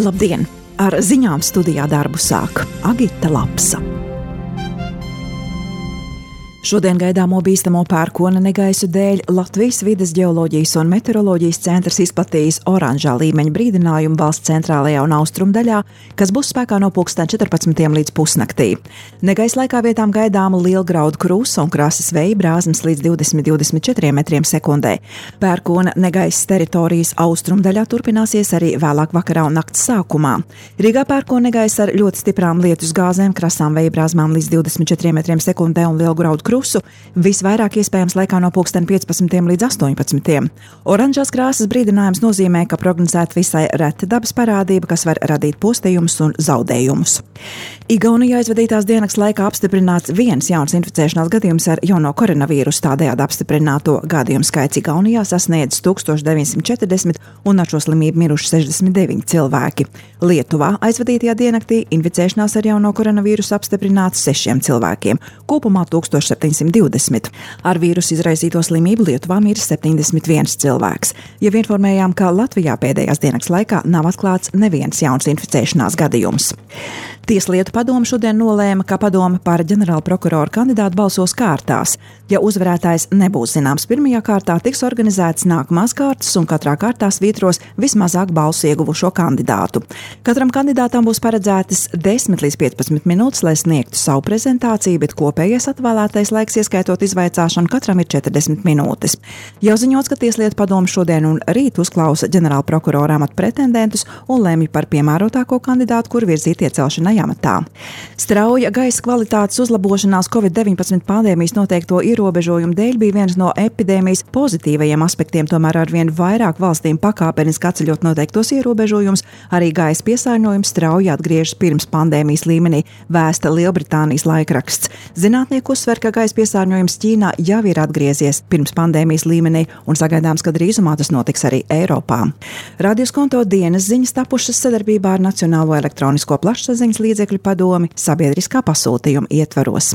Labdien! Ar ziņām studijā darbu sāk Agita Lapsa. Šodien gaidāmo bīstamo pērkona negaisu dēļ Latvijas vides geoloģijas un meteoroloģijas centrs izplatījis oranžā līmeņa brīdinājumu valsts centrālajā un austrumu daļā, kas būs spēkā no 14. līdz pusnaktī. Negaisa laikā vietām gaidāma lielgraudu krusa un krasas vēja brāzmas līdz 20–24 metriem sekundē. Pērkona negaisas teritorijas austrumu daļā turpināsies arī vēlāk vakarā un nakts sākumā. Rīgā pērkona negaisa ar ļoti stiprām lietus gāzēm, krasām vēja brāzmām līdz 24 metriem sekundē un lielgraudu krusu visvairāk iespējams laikā no 15. līdz 18. Oranžās krāsas brīdinājums nozīmē, ka prognozēta visai reta dabas parādība, kas var radīt postījumus un zaudējumus. Igaunijā aizvadītās dienas laikā apstiprināts viens jauns inficēšanās gadījums ar jauno koronavīrusu, tādējādi apstiprināto gadījumu skaits Igaunijā sasniedz 1940 un ar šo slimību miruši 69 cilvēki. Lietuvā aizvadītajā diennaktī inficēšanās ar jauno koronavīrusu apstiprināts 6 cilvēkiem, kopumā 1720. Ar vīrusu izraisīto slimību Lietuvā miris 71 cilvēks. Jau informējām, ka Latvijā pēdējās dienas laikā nav atklāts neviens jauns inficēšanās gadījums. Tieslietu padome šodien nolēma, ka padome par ģenerāla prokurora kandidātu balsos kārtās. Ja uzvarētājs nebūs zināms pirmajā kārtā, tiks organizētas nākamās kārtas un katrā kārtā svītros vismazāk balsu ieguvušo kandidātu. Katram kandidātam būs paredzētas 10 līdz 15 minūtes, lai sniegtu savu prezentāciju, bet kopējais atvēlētais laiks, ieskaitot izvaicāšanu, katram ir 40 minūtes. Jau ziņots, ka Tieslietu padome šodien un rīt uzklausa ģenerāla prokurora amata pretendentus un lemj par piemērotāko kandidātu, kur virzīt iecelšanai amatā. Strauja gaisa kvalitātes uzlabošanās Covid-19 pandēmijas noteikto ierobežojumu dēļ bija viens no epidēmijas pozitīvajiem aspektiem, tomēr arvien vairāk valstīm pakāpeniski atceļot noteiktos ierobežojumus, arī gaisa piesārņojums strauji atgriežas pirms pandēmijas līmenī, vēsta Lielbritānijas laikraksts. Zinātnieki uzsver, ka gaisa piesārņojums Ķīnā jau ir atgriezies pirms pandēmijas līmenī un sagaidāms, ka drīzumā tas notiks arī Eiropā. Radioskonto dienas ziņas tapušas sadarbībā ar Nacionālo elektronisko plašsaziņas līdzekļu padomi sabiedriskā pasūtījuma ietvaros.